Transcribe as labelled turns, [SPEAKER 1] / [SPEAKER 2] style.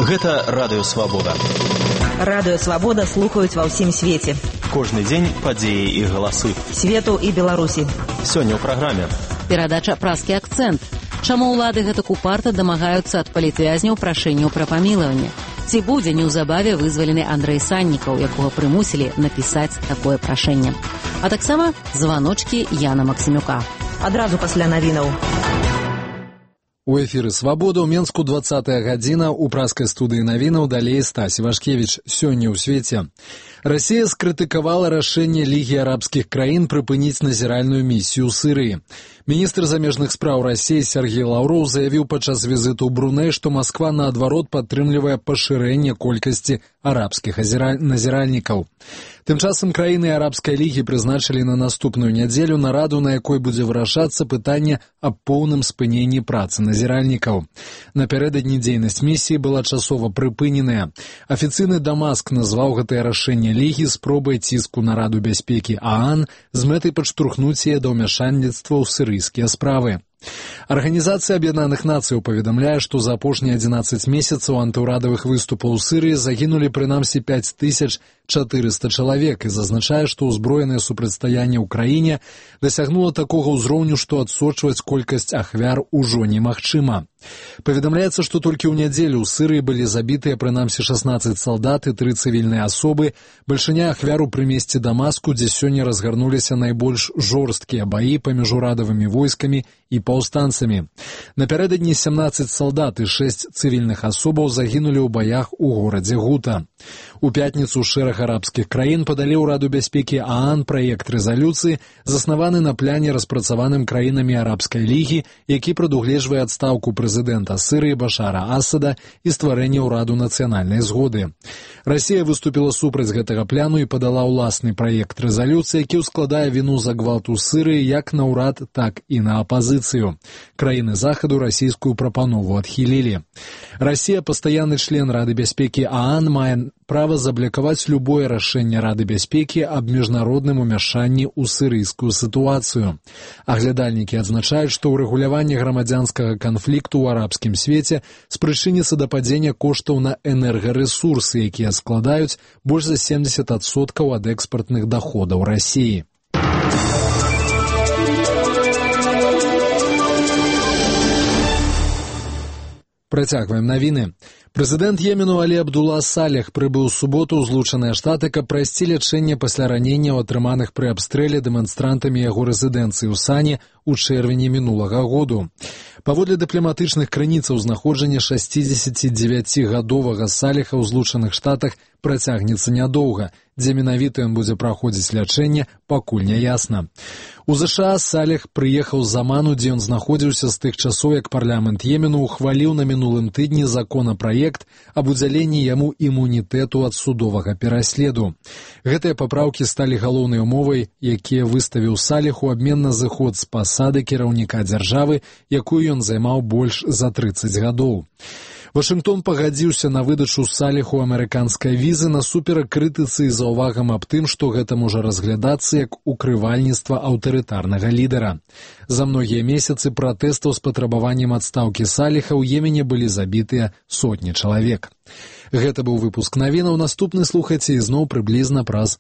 [SPEAKER 1] Гэта Радыё Свабода.
[SPEAKER 2] Радыё Свабода слухаюць ва ўсім свеце.
[SPEAKER 1] Кожны дзень падзеі і галасы.
[SPEAKER 2] Свету і Беларусі.
[SPEAKER 1] Сёння ў праграме.
[SPEAKER 3] Перадача «Праскі акцэнт». Чаму ўлады гэтак упарта дамагаюцца ад палітвязняў прашэнняў пра памілаванне? Ці будзе неўзабаве вызвалены Андрэй Саннікаў, якога прымусілі напісаць такое прашэнне? А таксама званочкі Яна Максімюка.
[SPEAKER 2] Адразу пасля навінаў.
[SPEAKER 4] У эфіры «Свабода» ў Менску 20-я гадзіна, у праскай студыі навінаў далей Стась Івашкевіч. Сёння ў свеце. Расія скрытыкавала рашэнне Лігі арабскіх краін прыпыніць назіральную місію ў Сірыі. Міністр замежных спраў Расіі Сергей Лаўроў заявіў падчас візіту ў Бруней, што Масква наадварот падтрымлівае пашырэнне колькасці арабскіх назіральнікаў. Тым часам краіны арабскай лігі прызначылі на наступную нядзелю нараду, на якой будзе вырашацца пытанне аб поўным спыненні працы назіральнікаў. Напярэдадні дзейнасць місіі была часова прыпыненая. Афіцыйны Дамаск назваў гэтае рашэнне лігі спробай ціску на Раду бяспекі ААН з мэтай падштурхнуць яе да ўмяшальніцтва ў сірыйскія справы. Арганізацыя Аб'яднаных Нацыяў паведамляе, што за апошнія 11 месяцаў антыўрадавых выступаў у Сірыі загінулі прынамсі 5400 чалавек і зазначае, што ўзброенае супрацьстаянне ў краіне дасягнула такога ўзроўню, што адсочваць колькасць ахвяр ужо немагчыма. Паведамляецца, што толькі ў нядзелю ў Сірыі былі забітыя прынамсі 16 салдат і 3 цывільныя асобы, бальшыня ахвяр у прымесці Дамаску, дзе сёння разгарнуліся найбольш жорсткія баі паміж урадавымі войскамі і паўстанцамі. Напярэдадні 17 салдат і 6 цывільных асобаў загінулі ў баях у горадзе Гута. У пятніцу шэраг арабскіх краін падалі ў Раду бяспекі ААН праект рэзалюцыі, заснаваны на пляне, распрацаваным краінамі арабскай лігі, які прадугледжвае адстаўку прэзідэнта Сірыі Башара Асада і стварэнне ўраду нацыянальнай згоды. Расія выступіла супраць гэтага пляну і падала ўласны праект рэзалюцыі, які ўскладае віну за гвалт у Сірыі як на ўрад, так і на апазіцыю. Краіны захаду расійскую прапанову адхілілі. Расія, пастаянны член Рады бяспекі ААН, мае права заблакаваць любое рашэнне Рады бяспекі аб міжнародным умяшанні ў сірыйскую сітуацыю. Аглядальнікі адзначаюць, што ўрэгуляванне грамадзянскага канфлікту ў арабскім свеце спрычыніцца да падзення коштаў на энергарэсурсы, якія складаюць больш за 70% ад экспартных даходаў Расіі. Працягваем навіны. Прэзідэнт Йемену Алі Абдулла Салех прыбыў у суботу ў Злучаныя Штаты, каб прайсці лячэнне пасля раненняў, атрыманых пры абстрэле дэманстрантамі яго рэзідэнцыі ў Сане ў чэрвені мінулага году. Паводле дыпламатычных крыніцаў, знаходжанне 69-гадовага Салеха ў Злучаных Штатах працягнецца нядоўга. Дзе менавіта ён будзе праходзіць лячэнне, пакуль не ясна. У ЗША Салех прыехаў з Аману, дзе ён знаходзіўся з тых часоў, як парламент Йемену ухваліў на мінулым тыдні законапраект аб удзяленні яму імунітэту ад судовага пераследу. Гэтыя папраўкі сталі галоўнай умовай, якія выставіў Салех у абмен на зыход з пасады кіраўніка дзяржавы, якую ён займаў больш за 30 гадоў. Вашынгтон пагадзіўся на выдачу Салеху амерыканскай візы насуперак крытыцы і заўвагам аб тым, што гэта можа разглядацца як укрывальніцтва аўтарытарнага лідара. За многія месяцы пратэстаў з патрабаваннем адстаўкі Салеха ў Йемене былі забітыя сотні чалавек. Гэта быў выпуск навінаў. Наступны слухайце ізноў прыблізна праз